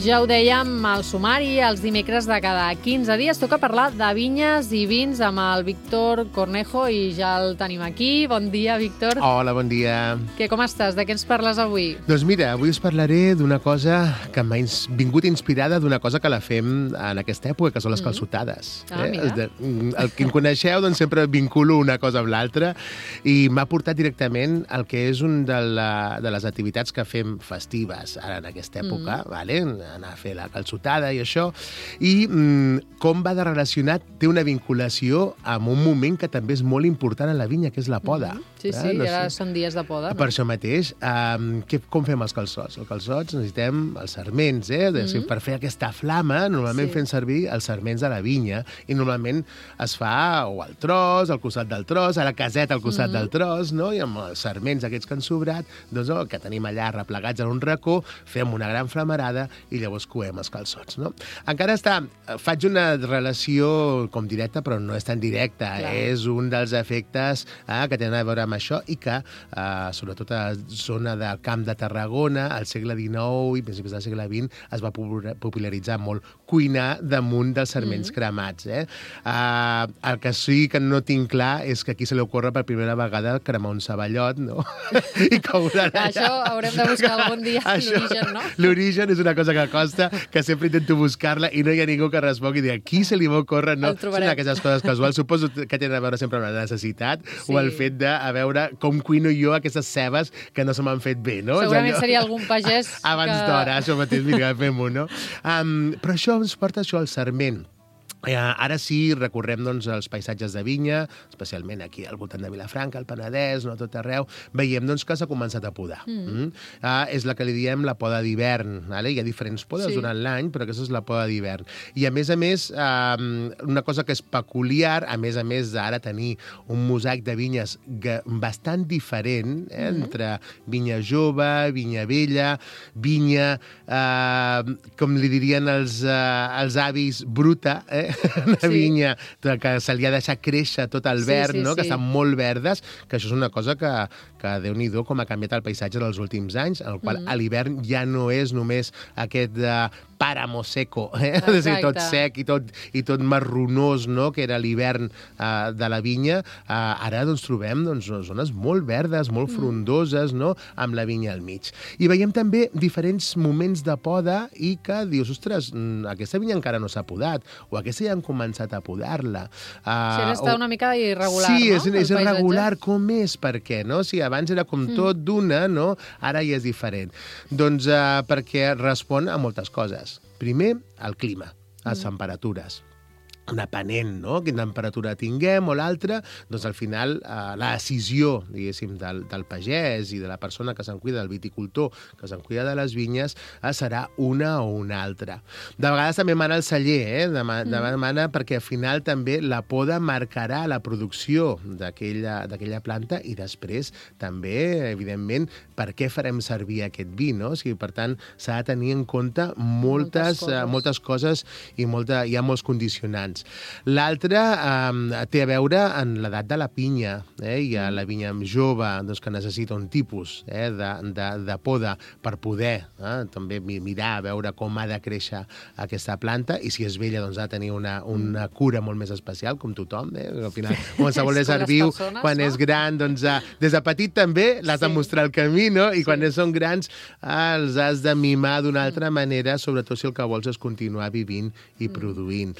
Ja ho dèiem, al sumari, els dimecres de cada 15 dies toca parlar de vinyes i vins amb el Víctor Cornejo i ja el tenim aquí. Bon dia, Víctor. Hola, bon dia. Com estàs? De què ens parles avui? Doncs mira, avui us parlaré d'una cosa que m'ha vingut inspirada d'una cosa que la fem en aquesta època, que són les calçotades. Mira. El que em coneixeu, doncs sempre vinculo una cosa amb l'altra i m'ha portat directament al que és un de les activitats que fem festives ara en aquesta època, vale? Anar a fer la calçotada i això, i com va de relacionat, té una vinculació amb un moment que també és molt important en la vinya, que és la poda. Sí, ara són dies de poda. Per això mateix, com fem els calçots? Els calçots necessitem els sarments, per fer aquesta flama, normalment fem servir els sarments de la vinya, i normalment es fa o al tros, al costat del tros, a la caseta al costat del tros, no? I amb els sarments aquests que han sobrat, doncs el que tenim allà replegats en un racó, fem una gran flamarada i llavors coem els calçots, no? Encara faig una relació com directa, però no és tan directa. És un dels efectes que tenen a veure amb això i que, sobretot a la zona del Camp de Tarragona, al segle XIX i principis del segle XX, es va popularitzar molt cuinar damunt dels sarments cremats. El que sí que no tinc clar és que aquí se li ocorre per primera vegada cremar un ceballot, no? I coure allà. Això haurem de buscar algun dia l'origen, no? L'origen és una cosa que costa, que sempre intento buscar-la i no hi ha ningú que respongui i dir, aquí se li va ocórrer, no? Són aquestes coses casuals. Suposo que tenen a veure sempre amb la necessitat o el fet de, a veure, com cuino jo aquestes cebes que no se m'han fet bé, no? Segurament seria algun pagès abans d'hora, això mateix, mira, fem-ho, no? Però això ens porta al sarment. Ara sí, recorrem als paisatges de vinya, especialment aquí al voltant de Vilafranca, al Penedès, no, tot arreu, veiem que s'ha començat a podar. És la que li diem la poda d'hivern. Hi ha diferents podes durant l'any, però aquesta és la poda d'hivern. I a més, una cosa que és peculiar, a més d'ara tenir un mosaic de vinyes bastant diferent, entre vinya jove, vinya vella, vinya, com li dirien els avis, bruta, una vinya que se li ha deixat créixer tot el verd, que estan molt verdes, que això és una cosa que Déu-n'hi-do com ha canviat el paisatge dels últims anys, en el qual a l'hivern ja no és només aquest páramo seco, és a dir, tot sec i tot marronós, que era l'hivern de la vinya. Ara trobem zones molt verdes, molt frondoses, amb la vinya al mig. I veiem també diferents moments de poda i que dius, ostres, aquesta vinya encara no s'ha podat, o aquesta ja han començat a podar-la. Ara està una mica irregular, no? Sí, és irregular. Com és? Per què? Si abans era com tot d'una, ara ja és diferent. Doncs perquè respon a moltes coses. Primer, el clima, les temperatures. Depenent, quina temperatura tinguem o l'altra, doncs al final la decisió, diguéssim, del pagès i de la persona que se'n cuida, del viticultor, que se'n cuida de les vinyes, serà una o una altra. De vegades també mana el celler, demana perquè al final també la poda marcarà la producció d'aquella planta i després també, evidentment, per què farem servir aquest vi, no? O sigui, per tant, s'ha de tenir en compte moltes coses i hi ha molts condicionants. L'altre té a veure en l'edat de la pinya. Hi ha la vinya jove que necessita un tipus de poda per poder també mirar a veure com ha de créixer aquesta planta, i si és vella ha de tenir una cura molt més especial, com tothom. Al final, qualsevol ésser viu, quan és gran, des de petit també l'has de mostrar el camí, i quan són grans els has de mimar d'una altra manera, sobretot si el que vols és continuar vivint i produint.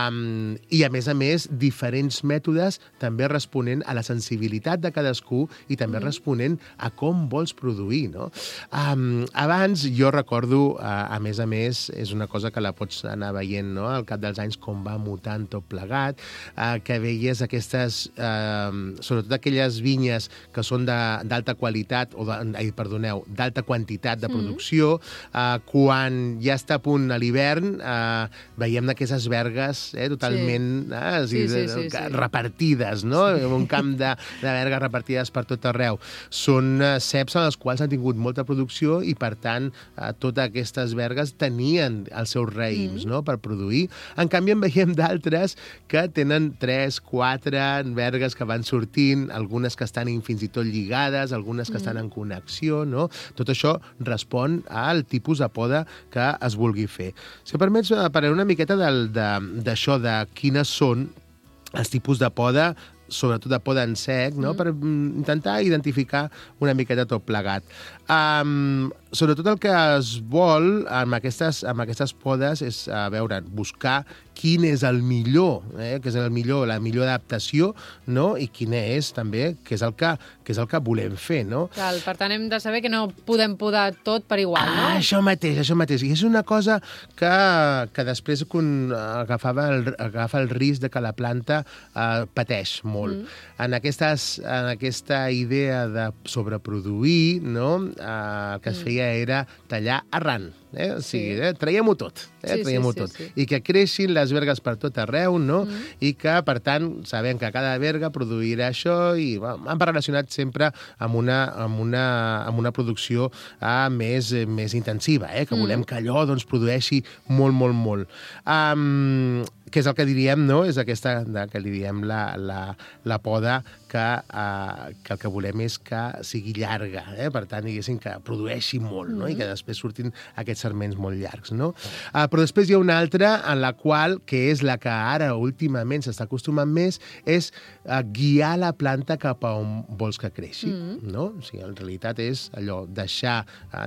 I, a més, diferents mètodes també responent a la sensibilitat de cadascú i també responent a com vols produir, no? Abans, jo recordo, a més, és una cosa que la pots anar veient, al cap dels anys, com va mutant tot plegat, que veies aquestes, sobretot aquelles vinyes que són d'alta qualitat, d'alta quantitat de producció, quan ja està a punt a l'hivern, veiem aquestes vergues totalment repartides, no? Un camp de vergues repartides per tot arreu. Són ceps en els quals han tingut molta producció i, per tant, totes aquestes vergues tenien els seus raïms, no?, per produir. En canvi, en veiem d'altres que tenen 3, 4 vergues que van sortint, algunes que estan fins i tot lligades, algunes que estan en connexió, no? Tot això respon al tipus de poda que es vulgui fer. Si em permets, parlaré una miqueta d'això, de quines són els tipus de poda, sobretot de poda en sec, no?, per intentar identificar una miqueta tot plegat. Sobretot el que es vol amb aquestes podes és, buscar quin és el millor, que és la millor adaptació, no?, i quina és també, que és el que volem fer, no? Cal, per tant, hem de saber que no podem podar tot per igual, no? Això mateix. I és una cosa que després agafa el risc de que la planta pateix molt. En aquesta idea de sobreproduir, no?, el que es feia era tallar arran. O sigui, traiem-ho tot. Traiem-ho tot. I que creixin les vergues per tot arreu, no? I que, per tant, sabem que cada verga produirà això i han relacionat sempre amb una producció més intensiva, que volem que allò produeixi molt, molt, molt. Que és el que diríem, no? És aquesta que li diem la poda que el que volem és que sigui llarga, per tant, diguéssim, que produeixi molt, no? I que després surtin aquests sarments molt llargs, no? Però després hi ha una altra en la qual, que és la que ara últimament s'està acostumant més, és guiar la planta cap a on vols que creixi, no? O sigui, en realitat és allò, deixar,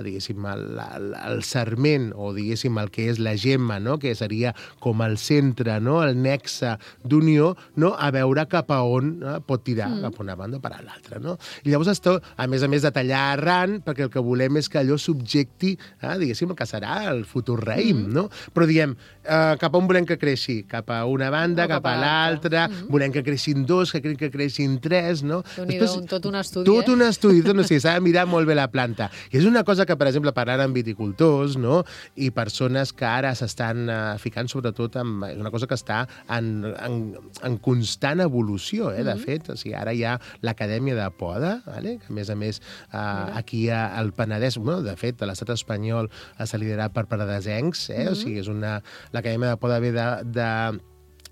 diguéssim, el sarment, o diguéssim, el que és la gemma, no?, que seria com el centre, no?, el nexe d'unió, no?, a veure cap a on pot tirar, cap a una banda o per a l'altra, no? I llavors, a més de tallar arran, perquè el que volem és que allò subjecti, diguéssim, el que serà el futur raïm, no? Però diem, cap a on volem que creixi? Cap a una banda, cap a l'altra, volem que creixin 2, que creixin 3, no? Tot un estudi, Tot un estudi, s'ha de mirar molt bé la planta. I és una cosa que, per exemple, parlant amb viticultors, no?, i persones que ara s'estan ficant sobretot amb... És una cosa que està en constant evolució, de fet. O sigui, ara hi ha l'Acadèmia de Poda, que a més, aquí al Penedès, de fet, a l'estat espanyol s'ha liderat per penedesencs, o sigui, l'Acadèmia de Poda ve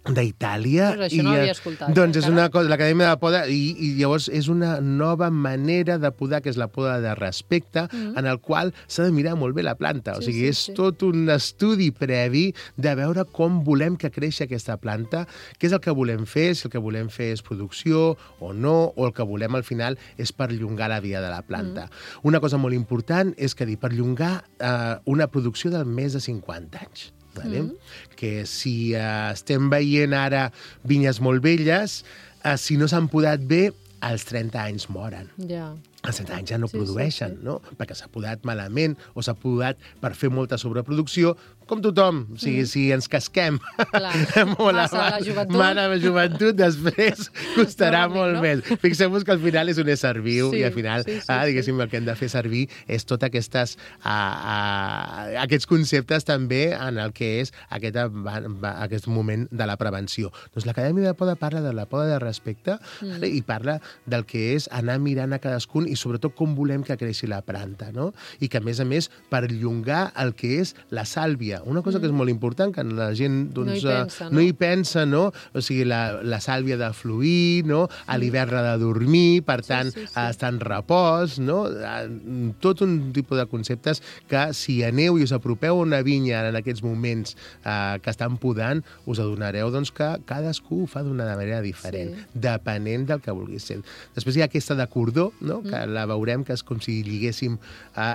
d'Itàlia. Però això no havia escoltat. Doncs és una cosa, l'Acadèmia de Poda, i llavors és una nova manera de podar, que és la poda de respecte, en el qual s'ha de mirar molt bé la planta. O sigui, és tot un estudi previ de veure com volem que creixi aquesta planta, què és el que volem fer, si el que volem fer és producció o no, o el que volem al final és perllongar la vida de la planta. Una cosa molt important és que perllongar una producció de més de 50 anys. Que si estem veient ara vinyes molt velles, si no s'han podat bé, als 30 anys moren. Als 30 anys ja no produeixen, no? Perquè s'ha podat malament o s'ha podat per fer molta sobreproducció, com tothom. O sigui, si ens casquem molt la joventut, després costarà molt més. Fixem-vos que al final és un ésser viu i al final, diguéssim, el que hem de fer servir és tots aquests conceptes també en el que és aquest moment de la prevenció. Doncs l'Acadèmia de Poda parla de la poda de respecte i parla del que és anar mirant a cadascun i sobretot com volem que creixi la planta, no? I que, a més, perllongar el que és la sàlvia. Una cosa que és molt important, que la gent no hi pensa, no? O sigui, la sàlvia de fluir, no? A l'hivern de dormir, per tant, estar en repòs, no? Tot un tipus de conceptes que, si aneu i us apropeu a una vinya en aquests moments que estan podant, us adonareu que cadascú ho fa d'una manera diferent, depenent del que vulgui ser. Després hi ha aquesta de cordó, no?, que la veurem, que és com si lliguéssim,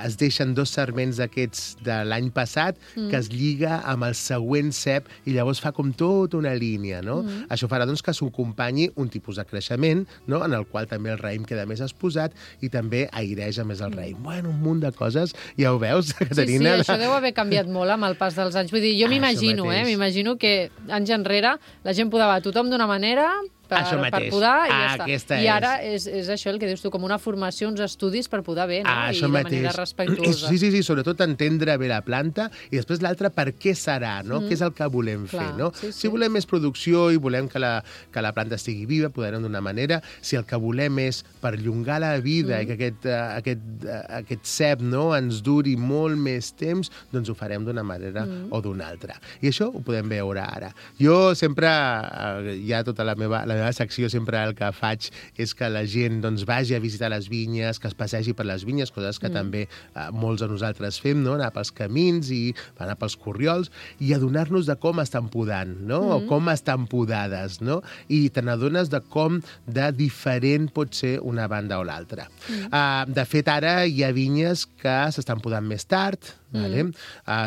es deixen 2 sarments d'aquests de l'any passat, que es lliga amb el següent cep i llavors fa com tota una línia, no? Això farà, que s'ho acompanyi un tipus de creixement, no?, en el qual també el raïm queda més exposat i també aireja més el raïm. Bueno, un munt de coses, ja ho veus, Caterina? Sí, això deu haver canviat molt amb el pas dels anys. Vull dir, jo m'imagino que anys enrere la gent podava tothom d'una manera, per podar i ja està. Aquesta I ara és això el que dius tu, com una formació, uns estudis per podar bé, no? I de manera respectuosa. Sí, sobretot entendre bé la planta i després l'altra per què serà, no? Què és el que volem fer, no? Si volem més producció i volem que la planta estigui viva, podrem d'una manera. Si el que volem és perllongar la vida i que aquest cep, no, ens duri molt més temps, doncs ho farem d'una manera o d'una altra. I això ho podem veure ara. Jo sempre, ja tota la meva secció, sempre el que faig és que la gent doncs, vagi a visitar les vinyes, que es passegi per les vinyes, coses que també molts de nosaltres fem, no? Anar pels camins i anar pels corriols i adonar-nos de com estan podant, no? O com estan podades, no? I te n'adones de com de diferent pot ser una banda o l'altra. De fet, ara hi ha vinyes que s'estan podant més tard,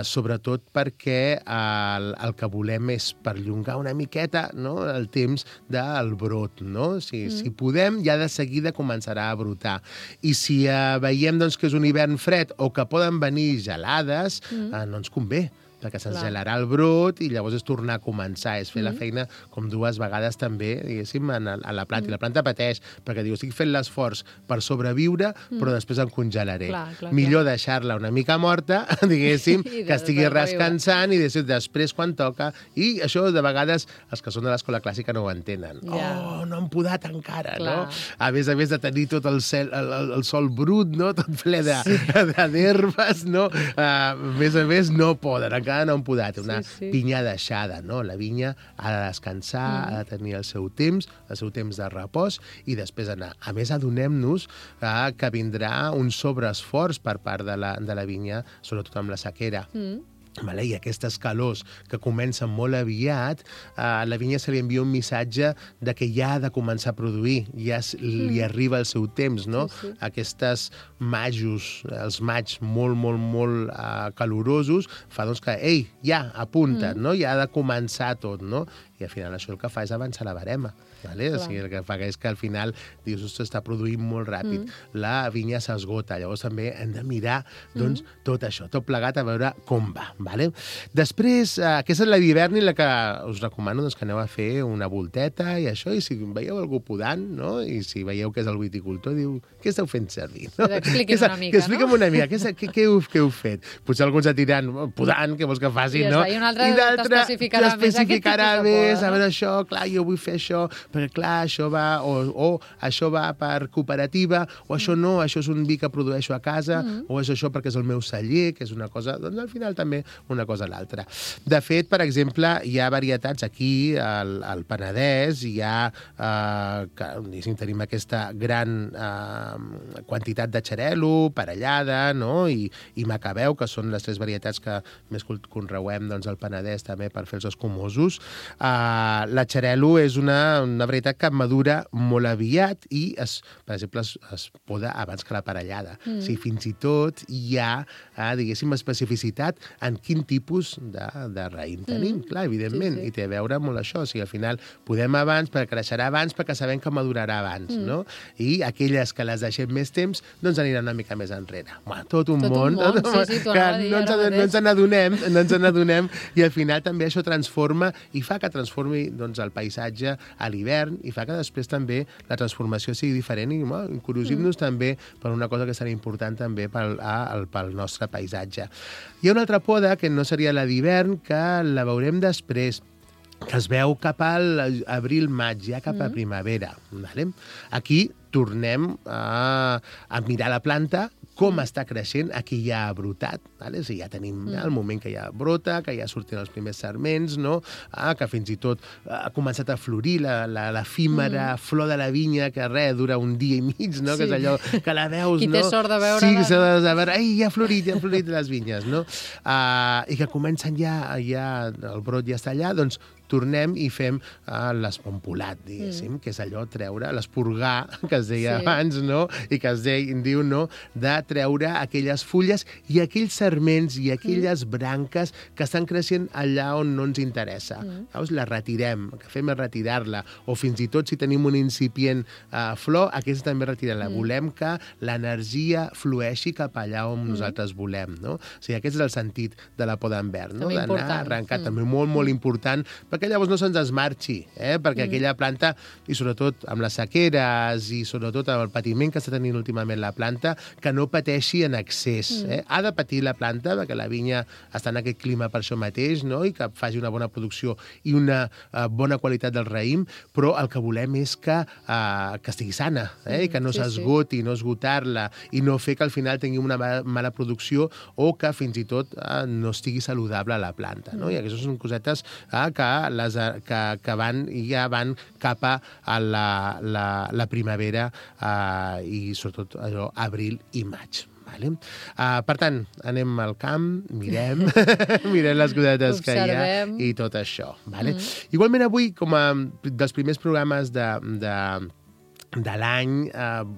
sobretot perquè el que volem és perllongar una miqueta, no? El temps del brot, no? Si podem, ja de seguida començarà a brotar. I si veiem doncs, que és un hivern fred o que poden venir gelades, no ens convé, perquè se'ns gelarà el brot i llavors és tornar a començar, és fer la feina com dues vegades també, diguéssim, a la planta. I la planta pateix, perquè diu, estic fent l'esforç per sobreviure, però després em congelaré. Millor deixar-la una mica morta, diguéssim, que estigui descansant i després quan toca. I això, de vegades, els que són de l'escola clàssica no ho entenen. Oh, no han podat encara, no? A més de tenir tot el sol brut, no? Tot ple d'herbes, no? A més, no poden, encara no han podat. Una vinya deixada, no? La vinya ha de descansar, ha de tenir el seu temps de repòs i després anar. A més, adonem-nos que vindrà un sobreesforç per part de la vinya, sobretot amb la sequera. I aquestes calors que comencen molt aviat, a la vinya se li envia un missatge de que ja ha de començar a produir, ja li arriba el seu temps, no? Aquestes majos, els maigs molt calorosos, fa doncs que, ei, ja, apunta't, no? Ja ha de començar tot, no? I al final això el que fa és avançar la barema. O sigui, el que fa és que al final dius, ostres, està produint molt ràpid. La vinya s'esgota. Llavors també hem de mirar doncs, tot això, tot plegat, a veure com va. Després, aquesta és la d'hivern i la que us recomano doncs, que aneu a fer una volteta i això, i si veieu algú podant, no? I si veieu que és el viticultor, diu, què esteu fent servir? No? Expliqui'm una mica, Expliqui'm una mica, què heu fet? Potser alguns et diran, podant, què vols que faci, no? I un altre t'especificarà més a veure això, clar, jo vull fer això, perquè clar, això va, o això va per cooperativa, o això no, això és un vi que produeixo a casa, o és això perquè és el meu celler, que és una cosa, doncs al final també una cosa a l'altra. De fet, per exemple, hi ha varietats aquí, al Penedès, hi ha, tenim aquesta gran quantitat de xarel·lo, parellada, no? I macabeu, que són les tres varietats que més conreuem doncs, al Penedès també per fer els escumosos. La xarel·lo és una varietat que madura molt aviat i, per exemple, es poda abans que la parellada. O sigui, fins i tot hi ha, diguéssim, especificitat en quin tipus de raïm tenim. Clar, evidentment, i té a veure molt això. O sigui, al final podem abans, perquè creixerà abans, perquè sabem que madurarà abans, no? I aquelles que les deixem més temps, doncs aniran una mica més enrere. Tot un món que no ens n'adonem i al final també això transforma i fa que transformi doncs, el paisatge a l'hivern i fa que després també la transformació sigui diferent i encuriosim-nos també per una cosa que serà important també pel nostre paisatge. Hi ha una altra poda que no seria la d'hivern, que la veurem després, que es veu cap a l'abril-maig, ja cap a primavera. Aquí tornem a mirar la planta, com està creixent, aquí ja ha brotat, ja tenim el moment que ja brota, que ja surten els primers sarments, que fins i tot ha començat a florir l'efímera flor de la vinya, que dura un dia i mig, que és allò que la veus... Qui té sort de veure... Sí, de veure, ja ha florit les vinyes, i que comencen ja, el brot ja està allà, doncs tornem i fem l'espompolat, diguéssim, que és allò treure, l'esporgar, que es deia abans, i que es diu, de treure aquelles fulles i aquells sarments i aquelles branques que estan creixent allà on no ens interessa. Llavors la retirem, el que fem és retirar-la, o fins i tot si tenim un incipient flor, aquesta també retirem-la. Volem que l'energia flueixi cap allà on nosaltres volem, no? O sigui, aquest és el sentit de la poda en verd, no? D'anar arrencar, també molt, molt important, perquè que llavors no se'ns esmarxi, perquè aquella planta, i sobretot amb les sequeres i sobretot amb el patiment que està tenint últimament la planta, que no pateixi en excés. Ha de patir la planta, perquè la vinya està en aquest clima per això mateix, no? I que faci una bona producció i una bona qualitat del raïm, però el que volem és que estigui sana, i que no s'esgoti, no esgotar-la, i no fer que al final tingui una mala producció o que fins i tot no estigui saludable la planta, no? I aquestes són cosetes que ja van cap a la primavera i sobretot allò, abril i maig. Vale? Per tant, anem al camp, mirem les cosetes que hi ha i tot això. Vale? Igualment avui, com a dels primers programes de l'any,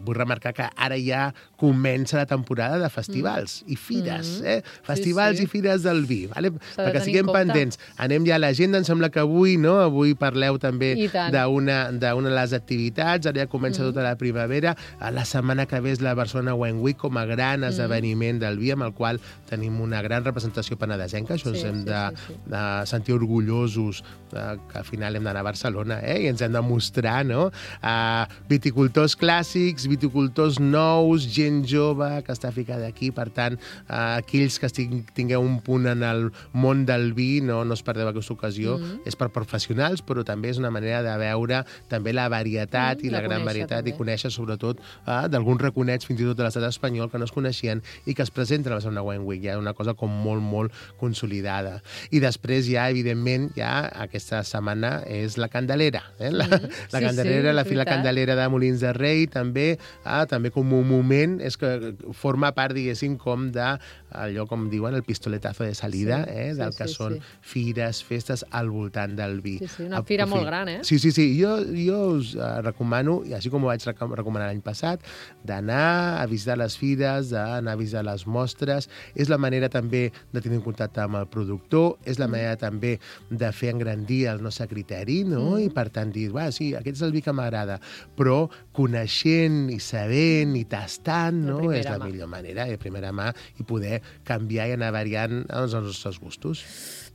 vull remarcar que ara ja comença la temporada de festivals i fires, festivals i fires del vi, vale? Perquè siguem pendents. Anem ja a l'agenda, em sembla que avui parleu també d'una de les activitats, ara ja comença tota la primavera, la setmana que ve és la Barcelona Wine Week com a gran esdeveniment del vi, amb el qual tenim una gran representació penedesenca, això ens hem de sentir orgullosos que al final hem d'anar a Barcelona i ens hem de mostrar, no? Viticultors clàssics, viticultors nous, gent jove que està ficada aquí. Per tant, aquells que tingueu un punt en el món del vi, no us perdeu aquesta ocasió. És per professionals, però també és una manera de veure també la varietat i la gran varietat i conèixer sobretot d'alguns raconets fins i tot de l'estat espanyol que no es coneixien i que es presenten a la Barcelona Wine Week. Ja una cosa com molt, molt consolidada. I després ja, evidentment, aquesta setmana és la Candelera. La Candelera, la Fira Candelera de Molins de Rei, també com un moment, és que forma part, diguéssim, com d'allò, com diuen, el pistoletazo de salida, del que són fires, festes al voltant del vi. Sí, una fira molt gran, Sí. Jo us recomano, i així com ho vaig recomanar l'any passat, d'anar a visitar les fires, d'anar a visitar les mostres. És la manera també de tenir en contacte amb el productor, és la manera també de fer engrandir el nostre criteri, no? I per tant dir, sí, aquest és el vi que m'agrada, però coneixent i sabent i tastant, no? És la millor manera, de primera mà, i poder canviar i anar variant els nostres gustos.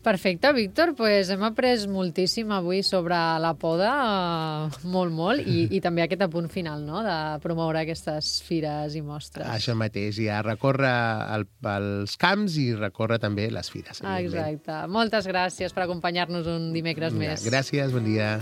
Perfecte, Víctor, doncs hem après moltíssim avui sobre la poda, molt, i també aquest apunt final, no?, de promoure aquestes fires i mostres. Això mateix, ja recórrer els camps i recórrer també les fires. Exacte. Moltes gràcies per acompanyar-nos un dimecres més. Gràcies, bon dia.